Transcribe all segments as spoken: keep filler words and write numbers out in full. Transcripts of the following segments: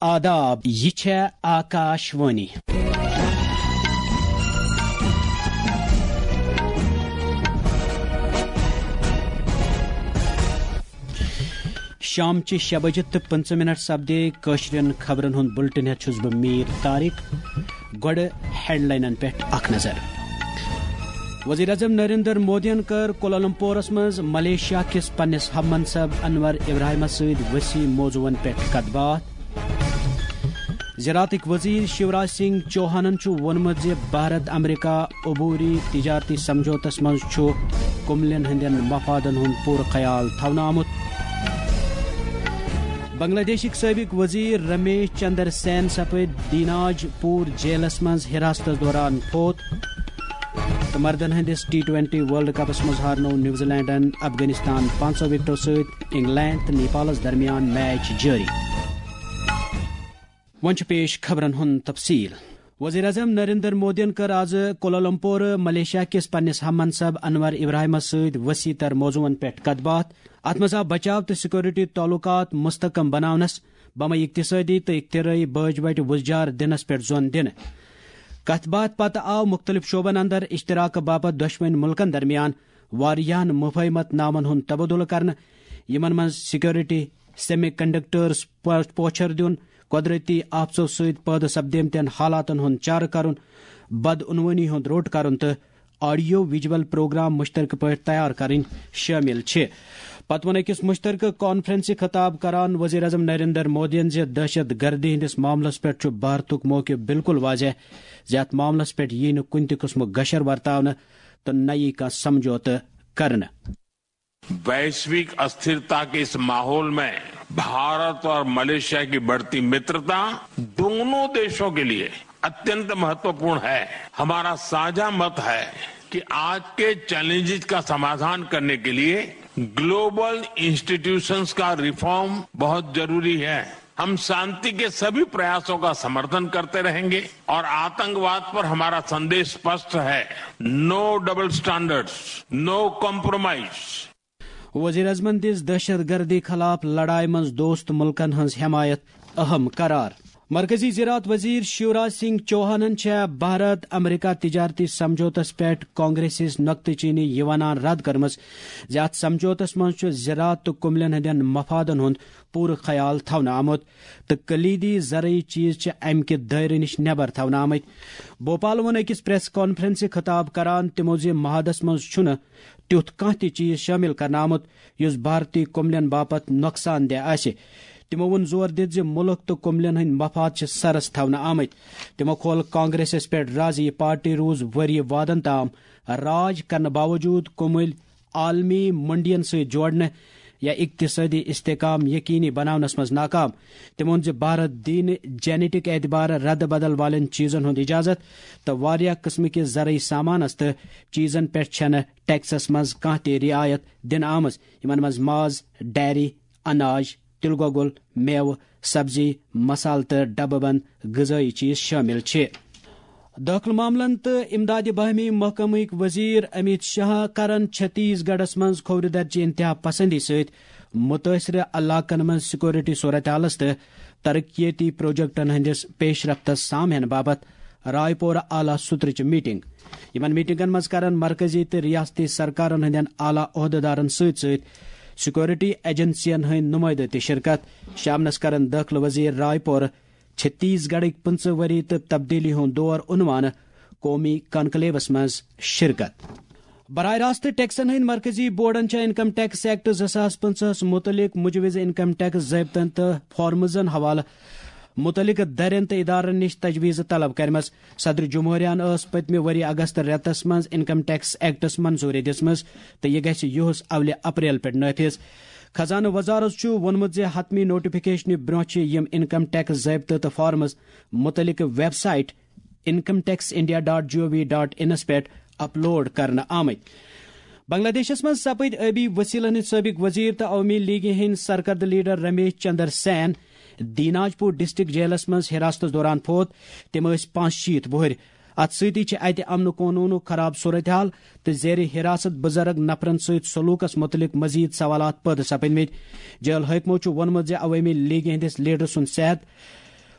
آداب، یہِ چھےٚ آکاش وانی۔ شامچہِ شےٚ بجہِ تہٕ پٕنٛژٕہ منٹ سپدے کٲشرٮ۪ن خبرن ہُنٛد بُلٹن ہٮ۪تھ چھُس بہٕ میٖر طارق۔ گۄڈٕ ہیڈلاینن پٮ۪ٹھ اکھ نظر۔ وزیر اعظم نریندر مودیَن کٔر کوالالمپورَس منٛز ملیشیا کِس پننِس ہم منصب انور ابراہیمَس سۭتۍ وسیع موضوعن پٮ۪ٹھ کتھ باتھ۔ زراعتٕکۍ وزیر شیوراج سنگھ چوہانَن چھُ ووٚنمُت زِ بھارت امریکہ عبوری تجارتی سمجھوتس منٛز چھُ کُملٮ۪ن ہٕنٛدٮ۪ن مفادن ہُنٛد پوٗرٕ خیال تھاونہٕ آمُت۔ بنگلہ دیشٕکۍ سٲبق وزیر رمیش چندر سین سپٕدۍ دیناج پوٗر جیلس منٛز حراستس دوران فوت۔ تہٕ مردن ہٕنٛدِس ٹی ٹوینٹی ورلڈ کپس منٛز ہارنوو نیوزی لینڈن افغانستان پانٛژو وکٹو سۭتۍ۔ انگلینڈ تہٕ نیپالس درمیان میچ جٲری۔ وۄنۍ چھُ پیش خبرن ہُنٛد تفصیل۔ وزیر اعظم نریندر مودیَن کٔر آز کوالالمپور ملیشیا کِس پننِس ہم منصب انور ابراہیمَس سۭتۍ وسیع تر موضوعن پٮ۪ٹھ کتھ باتھ۔ اتھ منٛز آو بچاو تہٕ سیکورٹی تعلقات مستحکم بناونس، بمے اقتصٲدی تہٕ اختراعی بٲج بٹہِ وُزجار دِنس پٮ۪ٹھ زون دِنہٕ۔ کتھ باتھ پتہٕ آو مُختٔلِف شعبن اندر اشتراک باپتھ دۄشوٕنۍ مُلکن درمیان واریاہن مفاہمت نامن ہُنٛد تبادلہٕ کرنہٕ، یِمن منٛز سیکورٹی، سیمی کنڈکٹرز، پو-، پوچھر دیُن، قۄدرٔتی آفژو سۭتۍ پٲدٕ سپدیمتٮ۪ن حالاتن ہُنٛد چارٕ کرُن، بدعنوٲنی ہُنٛد روٚٹ کرُن تہٕ آڈیو ویجول پروگرام مشترکہٕ پٲٹھۍ تیار کرٕنۍ شٲمِل چھِ۔ پتہٕ ووٚن أکِس مشترکہٕ کانفرنسہِ خطاب کران وزیر اعظم نریندر مودیَن زِ دہشت گردی ہٕنٛدِس معاملس پٮ۪ٹھ چھُ بھارتُک موقف بالکل واضح زِ اتھ معاملس پٮ۪ٹھ ییہِ نہٕ کُنہِ تہِ قٕسمُک گشر ورتاونہٕ تہٕ نہ ییہِ کانٛہہ سمجھوتہٕ کرنہٕ۔ वैश्विक अस्थिरता के इस माहौल में भारत और मलेशिया की बढ़ती मित्रता दोनों देशों के लिए अत्यंत महत्वपूर्ण है। हमारा साझा मत है कि आज के चैलेंजेस का समाधान करने के लिए ग्लोबल इंस्टीट्यूशंस का रिफॉर्म बहुत जरूरी है। हम शांति के सभी प्रयासों का समर्थन करते रहेंगे और आतंकवाद पर हमारा संदेश स्पष्ट है, no double standards, no compromise। وزیر اعظمن دِژ دہشت گردی خلاف لڑایہِ منٛز دوست ملکن ہٕنٛز حمایت اہم قرار۔ مرکزی زراعت وزیر شیوراج سنگھ چوہانن چھےٚ بھارت امریکہ تجارتی سمجھوتس پٮ۪ٹھ کانگریسس نقطہٕ چینی یہِ ونان رد کٔرمٕژ زِ اتھ سمجھوتس منٛز چھُ زراعت تہٕ کُملٮ۪ن ہٕنٛدٮ۪ن مفادن ہُنٛد پوٗرٕ خیال تھاونہٕ آمُت تہٕ کلیدی زرعی چیز چھِ امہِ کہِ دٲیرٕ نِش نٮ۪بر تھاونہٕ آمٕتۍ۔ بھوپال ووٚن أکِس پریس کانفرنسہِ خطاب کران تِمو زِ معاہدس منٛز چھُنہٕ تیُتھ کانٛہہ تہِ چیز شٲمِل کرنہٕ آمُت یُس بھارتی کُملٮ۪ن باپتھ نۄقصان دہ آسہِ۔ تِمو ووٚن زور دِتھ زِ مُلک تہٕ کُملٮ۪ن ہٕنٛدۍ مفاد چھِ سرس تھاونہٕ آمٕتۍ۔ تِمو کھول کانگریسس پٮ۪ٹھ رازِ، یہِ پارٹی روٗز ؤریہِ وادن تام راج کرنہٕ باوجوٗد کُمٕلۍ عالمی منڈین سۭتۍ جوڑنہٕ یا اقتصٲدی استحکام یقینی بناونس منٛز ناکام۔ تِمو ووٚن زِ بھارت دِیہِ نہٕ جینیٹک اعتبارٕ رد بدل والٮ۪ن چیزن ہُنٛد اجازت تہٕ واریاہ قٕسمٕکہِ زرعی سامانس تہٕ چیزن پٮ۪ٹھ چھنہٕ ٹیکسس منٛز کانٛہہ تہِ رعایت دِنہٕ آمٕژ، یِمن منٛز ماز، ڈیری، اناج، تِلہٕ گۄگُل، مٮ۪وٕ، سبزی، مسالہٕ تہٕ ڈبہٕ بند غذٲیی چیز شٲمِل چھِ۔ دٲخلہٕ معاملن تہٕ امدادِ باہمی محکمٕکۍ وزیر امیت شاہ کرن چھتیس گڑھس منٛز کھوورِ درجہِ انتہا پسندی سۭتۍ مُتٲثرٕ علاقن منٛز سیکورٹی صورتحالس تہٕ ترقیتی پروجیکٹن ہٕنٛدِس پیش رفتس سام ہینہٕ باپتھ رائے پورہ اعلیٰ سطرٕچ میٹنگ۔ یِمن میٹنگن منٛز کرن مرکزی تہٕ ریاستی سرکارن ہٕنٛدٮ۪ن اعلیٰ عہدٕدارن سۭتۍ سۭتۍ سیکورٹی ایجنسین ہٕنٛدۍ نُمٲیدٕ تہِ شرکت۔ شامنس کرن دٲخلہٕ وزیر رائے پورہ چھتیس گڑھٕکۍ پٕنٛژٕہ ؤری تہٕ تبدیلی ہُنٛد دور عنوانہٕ قومی کانکلیوس منٛز شرکت۔ براہ راست ٹیکسن ہٕنٛدۍ مرکزی بورڈن چھےٚ انکم ٹیکس ایکٹ زٕ ساس پٕنٛژٕہس مُتعلق مجوزٕ انکم ٹیکس ضٲبطن تہٕ فارمزن حوالہٕ مُتعلقہٕ درٮ۪ن تہٕ ادارن نِش تجویز طلب کرِمژ۔ صدر جمہوریہن ٲس پٔتمہِ ؤری اگست رٮ۪تس منٛز انکم ٹیکس ایکٹس منظوری دِژمٕژ تہٕ یہِ گژھِ یُہُس اولہِ اپریل پٮ۪ٹھ نافذ۔ خزانہٕ وزارت چھُ ووٚنمُت زِ حتمی نوٹیفکیشنہِ برٛونٛہہ چھِ یِم انکم ٹیکس ضٲبطہٕ تہٕ فارمز مُتعلقہٕ website income tax India dot G O V dot انس پٮ۪ٹھ اپلوڈ کرنہٕ آمٕتۍ۔ بنگلہ دیشس منٛز سپٕدۍ ٲبی وسیلن ہٕنٛدۍ سٲبق وزیر تہٕ عوٲمی لیگہِ ہٕنٛدۍ سرکردٕ لیڈر رمیش چندر سین دیناج پور ڈسٹرکٹ جیلس منٛز حراستس دوران فوت۔ تِم ٲسۍ پانٛژھ شیٖتھ وُہٕرۍ۔ اتھ سۭتی چھِ اتہِ امن و قونوٗنُک خراب صورتحال تہٕ زیر حراست بُزرگ نفرن سۭتۍ سلوکس مُتعلق مزید سوالات پٲدٕ سپٕدمٕتۍ۔ جیل حٲکمو چھُ ووٚنمُت زِ عوٲمی لیگہِ ہٕنٛدِس لیڈر سُنٛد صحت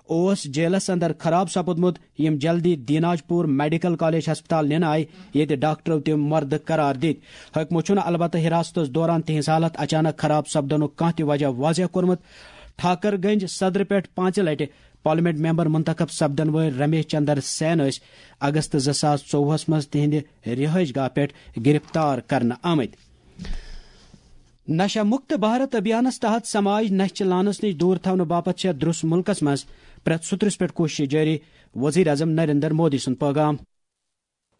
اوس جیلس اندر خراب سپدمت، یم جلدی دیناج پور میڈیکل کالج ہسپتال ننہٕ آیہِ، ییٚتہِ ڈاکٹرو تِم مردٕ قرار دِتۍ۔ حٲکمو چھُنہٕ البتہ حراستس دوران تِہنٛز حالت اچانک خراب سپدنُک کانٛہہ تہِ وجہ واضح کوٚرمُت۔ ٹھاکر گنج صدرٕ پٮ۪ٹھ پانٛژِ لٹہِ پارلیمنٹ ممبر منتخب سپدن وٲلۍ رمیش چندر سین ٲسۍ اگست زٕ ساس ژوٚوُہس منٛز تِہنٛدِ رہائش گاہ پٮ۪ٹھ گرفتار کرنہٕ آمٕتۍ۔ نشہ مکت بھارت ابھیانس تحت سماج نشہ چہ لعنس نش دور تھاونہٕ باپتھ چھےٚ درس ملکس منٛز پرٛٮ۪تھ سُترس پٮ۪ٹھ کوشش جٲری، وزیر اعظم نریندر مودی سُنٛد پیغام۔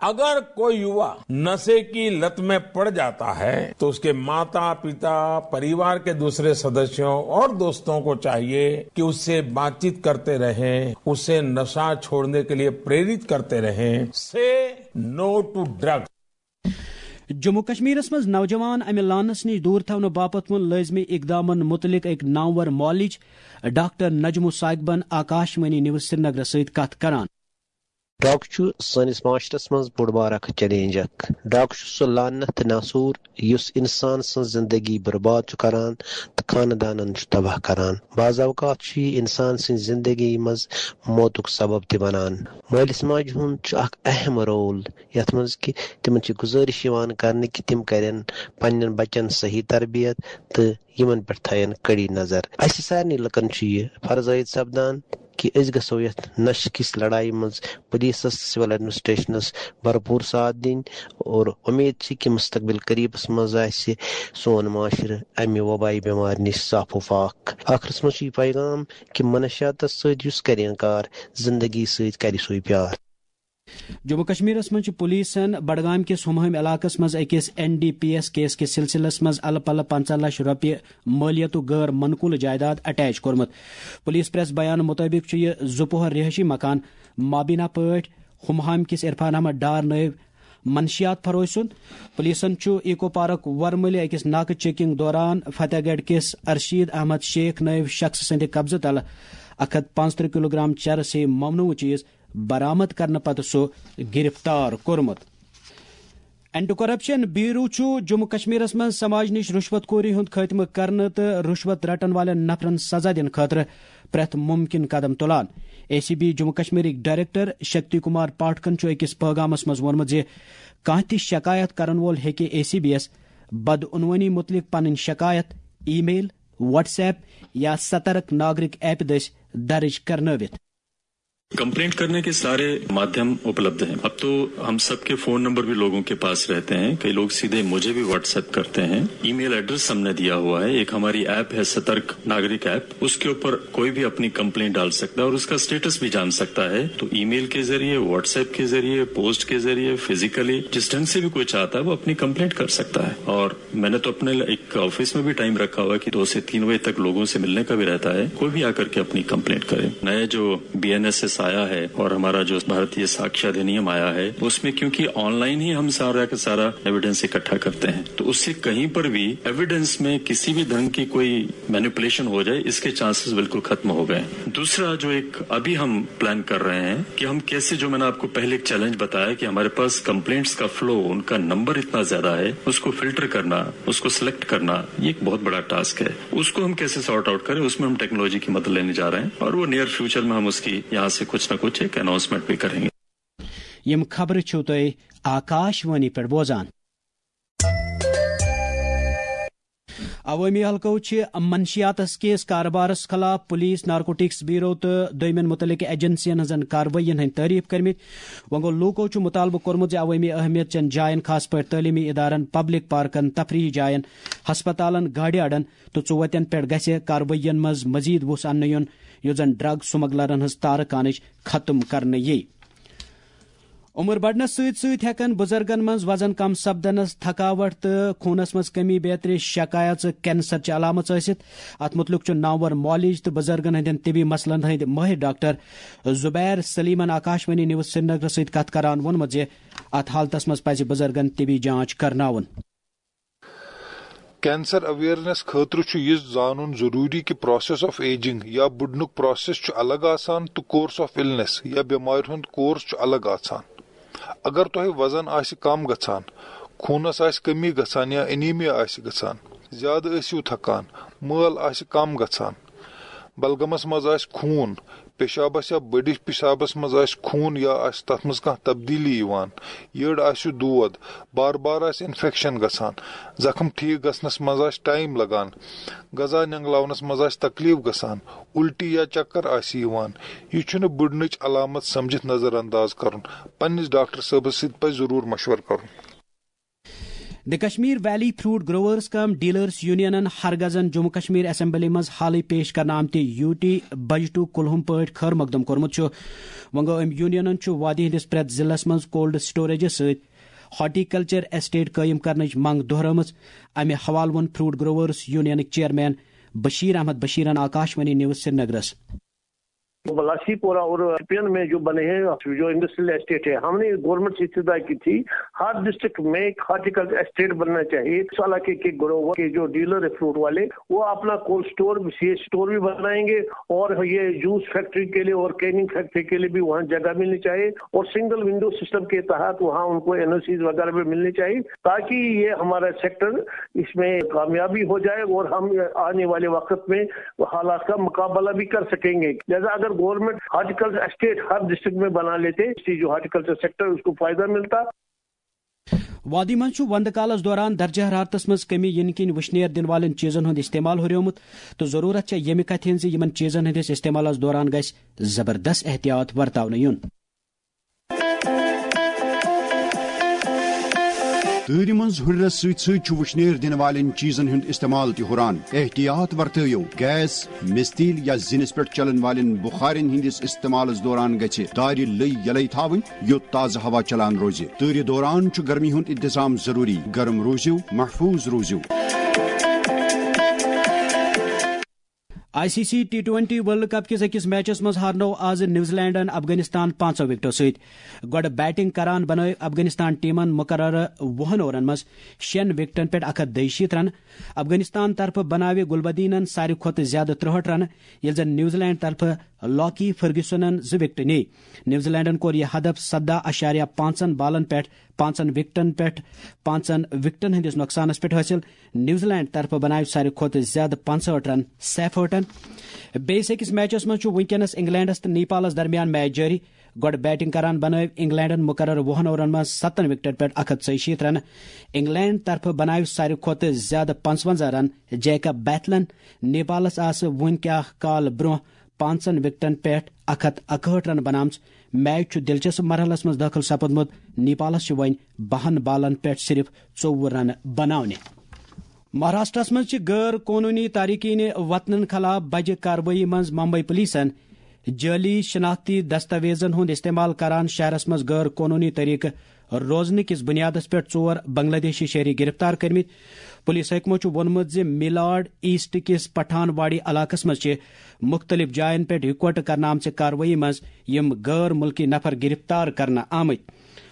अगर कोई युवा नशे की लत में पड़ जाता है तो उसके माता पिता, परिवार के दूसरे सदस्यों और दोस्तों को चाहिए कि उससे बातचीत करते रहें, उसे नशा छोड़ने के लिए प्रेरित करते रहें। Say no to drugs. Jammu کشمیرس منٛز نوجوان امہِ لعنس نِش دوٗر تھاونہٕ باپتھ ووٚن لٲزمی اقدامن مُتعلق أکۍ نامور معالج ڈاکٹر نجمو ثاقبن آکاشوانی نیوز سرینگرس سۭتۍ کتھ کران۔ ڈرگ چھُ سٲنِس معاشرس منٛز بوٚڑ بار اکھ چیلنج اکھ۔ ڈرگ چھُ سُہ لعنت تہٕ ناسوٗر یُس انسان سٕنٛز زندگی برباد چھُ کران تہٕ خاندانن چھُ تباہ کران۔ بعض اوقات چھُ یہِ انسان سٕنٛز زندگی منٛز موتُک سبب تہِ بنان۔ مٲلِس ماجہِ ہُنٛد چھُ اکھ اہم رول یتھ منٛز کہِ تِمن چھِ گُزٲرِش یِوان کرنہٕ کہِ تِم کرن پننٮ۪ن بچن صحیح تربیت تہٕ یِمن پٮ۪ٹھ تھاون کڑی نظر۔ اسہِ سارنٕے لُکن چھُ یہِ فرض عٲید سپدان کہِ أسۍ گژھو یتھ نشہٕ کِس لڑایہِ منٛز پُلیٖسس تہٕ سول ایڈمنسٹریشنس بھرپوٗر ساتھ دِنۍ اور اُمید چھِ کہِ مستقبل قریبس منٛز آسہِ سون معاشرٕ امہِ وبٲیی بٮ۪مارِ نِش صاف و پاک۔ ٲخرس منٛز چھُ یہِ پیغام کہِ منشیاتس سۭتۍ یُس کرِ انکار، زندگی سۭتۍ کرِ سُے پیار۔ جموں کشمیرس منٛز چھِ پولیسن بڈگام کِس ہمہٲمۍ علاقس منٛز أکِس N D P S case کِس سلسلس منٛز الہٕ پلہٕ پنٛژاہ لچھ رۄپیہِ مٲلیتُک غٲر منقولہٕ جائیداد اٹیچ کوٚرمُت۔ پولیس پریس بیان مُطٲبِق چھُ یہِ زٕ پوہر رہٲیشی مکان مابینا پٲٹھۍ ہمہامہِ کِس عرفان احمد ڈار نٲوۍ منشیات فروش سُنٛد۔ پولیسن چھُ ایکو پارک ورمُلہِ أکِس ناکہٕ چیکنگ دوران فتح گڑھ کِس ارشید احمد شیخ نٲوۍ شخص سٕنٛدِ قبضہٕ تلہٕ اکھ ہتھ پانٛژترٕہ کلوگرام چرس ہے ممنوع چیز برآمد کرنہٕ پتہٕ سُہ گرفتار کوٚرمُت۔ اینٹی کرپشن بیورو چھُ جموں کشمیرس منٛز سماج نِش رُشوت خوری ہُنٛد خٲتمہٕ کرنہٕ تہٕ رُشوت رٹن والٮ۪ن نفرن سزا دِنہٕ خٲطرٕ پرٛٮ۪تھ مُمکِن قدم تُلان۔ اے سی بی جموں کشمیرٕکۍ ڈائریکٹر شکتی کمار پاٹھکن چھُ أکِس پٲغامس منٛز ووٚنمُت زِ کانٛہہ تہِ شکایت کرن وول ہیٚکہِ اے سی بی یَس بدعنوٲنی مُتعلق پنٕنۍ شکایت ای میل، واٹس ایپ یا سترک ناگرک ایپ دٔسۍ درج کرنٲوِتھ۔ कंप्लेंट करने के सारे माध्यम उपलब्ध हैं। अब तो हम सबके फोन नंबर भी लोगों के पास रहते हैं। कई लोग सीधे मुझे भी व्हाट्सएप करते हैं। ईमेल एड्रेस हमने दिया हुआ है। एक हमारी ऐप है सतर्क नागरिक ऐप, उसके ऊपर कोई भी अपनी कंप्लेंट डाल सकता है और उसका स्टेटस भी जान सकता है। तो ईमेल के जरिए, व्हाट्सएप के जरिए, पोस्ट के जरिए, फिजिकली, जिस ढंग से भी कोई चाहता है वो अपनी कंप्लेंट कर सकता है। और मैंने तो अपने एक ऑफिस में भी टाइम रखा हुआ है कि दो से तीन बजे तक लोगों से मिलने का भी रहता है। कोई भी आकर के अपनी कंप्लेंट करे। नया जो बी एन एस एस आया है और हमारा जो भारतीय साक्ष्य अधिनियम आया है, उसमें क्योंकि ऑनलाइन ही हम सारा का सारा एविडेंस इकट्ठा करते हैं, तो उससे कहीं पर भी एविडेंस में किसी भी ढंग की कोई मैनिपुलेशन हो जाए, इसके चांसेस बिल्कुल खत्म हो गए हैं। दूसरा जो एक अभी हम प्लान कर रहे हैं कि हम कैसे, जो मैंने आपको पहले एक चैलेंज बताया कि हमारे पास कंप्लेंट्स का फ्लो, उनका नंबर इतना ज्यादा है, उसको फिल्टर करना, उसको सिलेक्ट करना, ये एक बहुत बड़ा टास्क है। उसको हम कैसे सॉर्ट आउट करें, उसमें हम टेक्नोलॉजी की मदद लेने जा रहे हैं और वो नियर फ्यूचर में हम उसकी यहाँ से कुछ ना कुछ एक अनाउंसमेंट भी करेंगे। یِم خبرٕ چھِو تُہۍ آکاش وانی پٮ۪ٹھ بوزان۔ عوٲمی حلقو چھِ منشیاتس کِس کارٕبارس خلاف پُلیٖس، نارکوٹکس بیورو تہٕ دوٚیمٮ۪ن مُتعلقہٕ ایجنسین ہٕنٛزن کاروٲیین ہٕنٛدۍ تعریف کٔرمٕتۍ۔ وۄنۍ گوٚو، لوٗکو چھُ مُطالبہٕ کوٚرمُت زِ عوٲمی اہمیت چٮ۪ن جاین، خاص پٲٹھۍ تعلیمی ادارن، پبلک پارکن، تفریحی جاین، ہسپتالن، گاڑِ اڈن تہٕ ژُوتٮ۪ن پٮ۪ٹھ گژھِ کاروٲیین منٛز مزید وُژھ اننہٕ یُن، یُتھ زن ڈرگ سمگلرن ہٕنٛز تارٕ کانٕچ ختم کرنہٕ یِیہِ۔ عمر بڑھنس سۭتۍ سۭتۍ ہٮ۪کن بُزرگن منٛز وزن کم سپدنس، تھکاوٹ تہٕ خوٗنس منٛز کمی بیترِ شکایژٕ کینسر چہِ علامژ ٲسِتھ۔ اتھ مُتعلق چھُ نامور معالج تہٕ بُزرگن ہٕنٛدٮ۪ن طبی مسلن ہٕنٛدۍ مٲہِر ڈاکٹر زبیر سلیمن آکاشوانی نیوز سرینگرس سۭتۍ کتھ کران ووٚنمُت زِ اتھ حالتس منٛز پزِ بُزرگن طبی جانچ کرناوُن۔ کینسر اویئرنیس خٲطرٕ چھُ یہِ زانُن ضروٗری کہِ پراسیس آف ایجنگ یا بُڈنُک پراسیس چھُ الگ آسان تہٕ کورس آف النس یا بٮ۪مارِ ہُنٛد کورس چھُ الگ آسان۔ اگر تۄہہِ وزن آسہِ کم گژھان، خوٗنس آسہِ کمی گژھان یا انیمیا آسہِ گژھان، زیادٕ ٲسِو تھکان، مٲل آسہِ کم گژھان، بلغمس منٛز آسہِ خوٗن، پیشابس یا بٔڑِس پیشابس منٛز آسہِ خوٗن یا آسہِ تتھ منٛز کانٛہہ تبدیٖلی یِوان، یٔڈ آسہِ دود، بار بار آسہِ انفیکشن گژھان، زخم ٹھیٖک گژھنس منٛز آسہِ ٹایم لگان، غذا نینگلاونس منٛز آسہِ تکلیف گژھان، الٹی یا چکر آسہِ یِوان، یہِ چھُنہٕ بٔڑنٕچ علامت سمجھِتھ نظر انداز کرُن۔ پننِس ڈاکٹر صٲبس سۭتۍ پزِ ضروٗر مشورٕ کرُن۔ The Kashmir Valley Fruit Growers cum Dealers Unionن ہرگزن جموں کشمیر اسمبلی منٛز حالٕے پیش کرنہٕ آمتہِ یوٗ ٹی بجٹُک کُلہُم پٲٹھۍ خٲر مقدم کوٚرمُت چھُ۔ وۄنۍ گوٚو، أمۍ یونینن چھُ وادی ہٕنٛدِس پرٛٮ۪تھ ضلعس منٛز کولڈ سٹوریجس سۭتۍ ہارٹیکلچر ایسٹیٹ قٲیِم کرنٕچ منٛگ دۄہرٲومٕژ۔ امہِ حوالہٕ ووٚن فروٹ گروورز یونینٕکۍ چیئرمین بشیر احمد بشیرن آکاشوانی نیوز سرینگرس۔ بلاشی پورہ اور شپین میں جو بنے ہیں، جو انڈسٹریل اسٹیٹ ہے، ہم نے گورنمنٹ سے استدعا کی تھی، ہر ڈسٹرکٹ میں ایک ہارٹیکلچر اسٹیٹ بننا چاہیے۔ اس علاقے کے گروور کے جو ڈیلر ہے فروٹ والے، وہ اپنا cold store, C H store بھی بنائیں گے اور یہ جوس فیکٹری کے لیے اور کیننگ فیکٹری کے لیے بھی وہاں جگہ ملنی چاہیے اور سنگل ونڈو سسٹم کے تحت وہاں ان کو این او سیز وغیرہ بھی ملنی چاہیے، تاکہ یہ ہمارا سیکٹر اس میں کامیابی ہو جائے اور ہم آنے والے وقت میں حالات کا مقابلہ بھی کر سکیں گے۔ لہذا اگر گورنمنٹ ہارٹیکلچر اسٹیٹ ہر ڈسٹرکٹ میں بنا لیتے، اس سے جو ہارٹیکلچر سیکٹر اس کو فائدہ ملتا۔ وادی منٛز چھُ وندٕ کالس دوران درجہ حرارتس منٛز کمی یِنہٕ کِنۍ وٕشنیر دِنہٕ والٮ۪ن چیٖزن ہُنٛد استعمال ہُریومُت، تہٕ ضروٗرت چھےٚ ییٚمہِ کتھِ ہٕنٛز زِ یِمن چیٖزن ہٕنٛدِس استعمالس دوران گژھِ زبردست احتیاط ورتاونہٕ یُن۔ تۭرِ منٛز ہُرٮ۪رس سۭتۍ سۭتۍ چھُ وٕشنیر دِنہٕ والٮ۪ن چیٖزن ہُنٛد استعمال تہِ ہُران۔ احتیاط ورتٲیِو، گیس، مِستیٖل یا زِنِس پٮ۪ٹھ چلن والٮ۪ن بُخارٮ۪ن ہٕنٛدِس استعمالس دوران گژھِ دارِ لٔۍ یلے تھاوٕنۍ، یوٚت تازٕ ہوا چلان روزِ۔ تۭرِ دوران چھُ گرمی ہُنٛد انتظام ضروٗری۔ گرم روٗزِو، محفوٗظ روٗزِو۔ I C C T twenty World Cup کِس أکِس میچس منٛز ہارنوو آز نیوزی لینڈن افغانستان پانٛژو وکٹو سۭتۍ۔ گۄڈٕ بیٹنگ کران بنٲوۍ افغانستان ٹیمن مقررٕ وُہن اوورن منٛز شیٚن وکٹن پٮ۪ٹھ اکھ ہتھ دۄیہِ شیٖتھ رن۔ افغانستان طرفہٕ بناوِ گلبدینن ساروی کھۄتہٕ زیادٕ ترٛہٲٹھ رنہٕ، ییٚلہِ زن نیوزی لینڈ طرفہٕ لاکی فرگیوسنن زٕ وکٹہٕ نِیہِ۔ نیوزی لینڈن کوٚر یہِ ہدف سدہ اعشاریہ پانٛژن بالن پٮ۪ٹھ پانٛژن وکٹن پٮ۪ٹھ پانٛژن وکٹن ہٕنٛدِس نۄقصانس پٮ۪ٹھ حٲصِل۔ نیوزی لینڈ طرفہٕ بناوِ ساروی کھۄتہٕ زیادٕ پنٛژہٲٹھ رن سیف ہٲٹن۔ بیٚیِس أکِس میچس منٛز چھُ وُنکیٚنس انگلینڈس تہٕ نیپالس درمیان میچ جٲری۔ گۄڈٕ بیٹنگ کران بنٲوۍ انگلینڈن مقررٕ وُہن اوورن منٛز ستن وکٹن پٮ۪ٹھ اکھ ہتھ ژۄیہِ شیٖتھ رنہٕ۔ انگلینڈ طرفہٕ بناوِ ساروی کھۄتہٕ زیادٕ پنٛژونزہ رن جیکب بیتھلن۔ نیپالس آسہٕ وُنہِ کینٛہہ کال برونٛہہ پانٛژن وکٹن پٮ۪ٹھ اکھ ہتھ اکہٲٹھ رنہٕ بناومژٕ۔ میچ چھُ دلچسپ مرحلس منٛز دٲخل سپدمُت۔ نیپالس چھِ وۄنۍ بہن بالن پٮ۪ٹھ صرف ژوٚوُہ رنہٕ بناونہِ۔ مہاراشٹرس منٛز چھِ غٲر قونوٗنی تارکین وطنن خلاف بجہِ کاروٲیی منٛز ممبئی پولیسن جعلی شناختی دستاویزن ہُنٛد استعمال کران شہرس منٛز غٲر قونوٗنی طریقہٕ روزنہٕ کِس بُنیادس پٮ۪ٹھ ژور بنگلہ دیشی شہری گرفتار کٔرمٕتۍ۔ پولیس حٲکمو چھُ ووٚنمُت زِ میلاڈ ایسٹ کِس پٹھان واڑی علاقس منٛز چھِ مُختٔلِف جاین پٮ۪ٹھ یِکوٹہٕ کرنہٕ آمژِ کاروٲیی منٛز یِم غٲر مُلکی نفر گرفتار کرنہٕ آمٕتۍ۔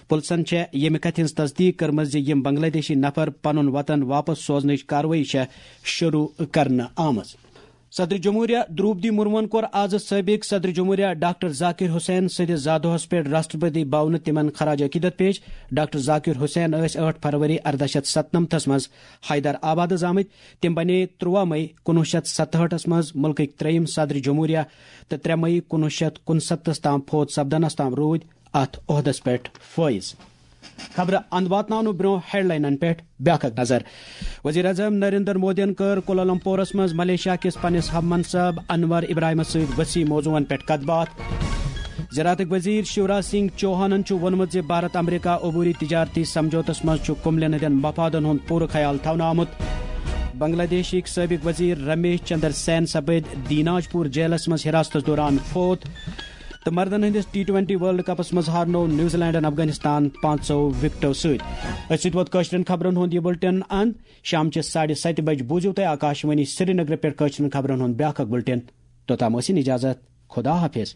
پُلسن چھےٚ ییٚمہِ کتھِ ہٕنٛز تصدیق کٔرمٕژ زِ یِم بنگلہ دیشی نفر پنُن وطن واپس سوزنٕچ کاروٲیی چھےٚ شروٗع کرنہٕ آمٕژ۔ صدر جمہوریہ دروپدی مرموہن کوٚر آز سٲبق صدر جمہوریہ ڈاکٹر ذاکر حسین سٕنٛدِس زادوہس پٮ۪ٹھ راشٹرپتی بھونہٕ تِمن خراج عقیدت پیش۔ ڈاکٹر ذاکر حسین ٲسۍ ٲٹھ فروری اردہ شیتھ ستنمتھس منٛز حیدر آبادس آمٕتۍ۔ تِم بنے ترٛواہ مئی کُنوُہ شیتھ ستہٲٹھس منٛز مُلکٕکۍ ترٛیٚیِم صدر جمہوریہ تہٕ ترٛےٚ مئی کُنوُہ شیتھ کُنسَتتھس تام فوت سپدنس تام روٗدۍ اتھ عہدس پٮ۪ٹھ فٲیض۔ خبرٕ اند واتناونہٕ برونٛہہ ہیڈلاینن پٮ۪ٹھ بیاکھ اکھ نظر۔ وزیر اعظم نریندر مودیَن کٔر کوالالمپورَس منٛز ملیشیا کِس پننِس ہم منصب انور ابراہیمَس سۭتۍ وسیع موضوعن پٮ۪ٹھ کتھ باتھ۔ زراعتٕکۍ وزیر شیوراج سنگھ چوہانَن چھُ ووٚنمُت زِ بھارت امریکہ عبوری تجارتی سمجھوتس منٛز چھُ کُملٮ۪ن ہٕنٛدٮ۪ن مفادن ہُنٛد پوٗرٕ خیال تھاونہٕ آمُت۔ بنگلہ دیشٕکۍ سٲبق وزیر رمیش چندر سین سپٕدۍ دیناج پور جیلس منٛز حراستس دوران فوت۔ تہٕ مردن ہٕنٛدِس ٹی ٹوئنٹی ورلڈ کپس منٛز ہارنوو نیوزی لینڈن افغانستان پانٛژو وکٹو سۭتۍ۔ أتھۍ سۭتۍ ووت کٲشرٮ۪ن خبرن ہُنٛد یہِ بُلٹن اند۔ شامچہِ ساڑِ ستہِ بجہِ بوٗزِو تُہۍ آکاشوانی سرینگرٕ پٮ۪ٹھ کٲشرٮ۪ن خبرن ہُنٛد بیٛاکھ اکھ بُلٹن۔ توٚتام ٲسِن اجازت۔ خدا حافظ۔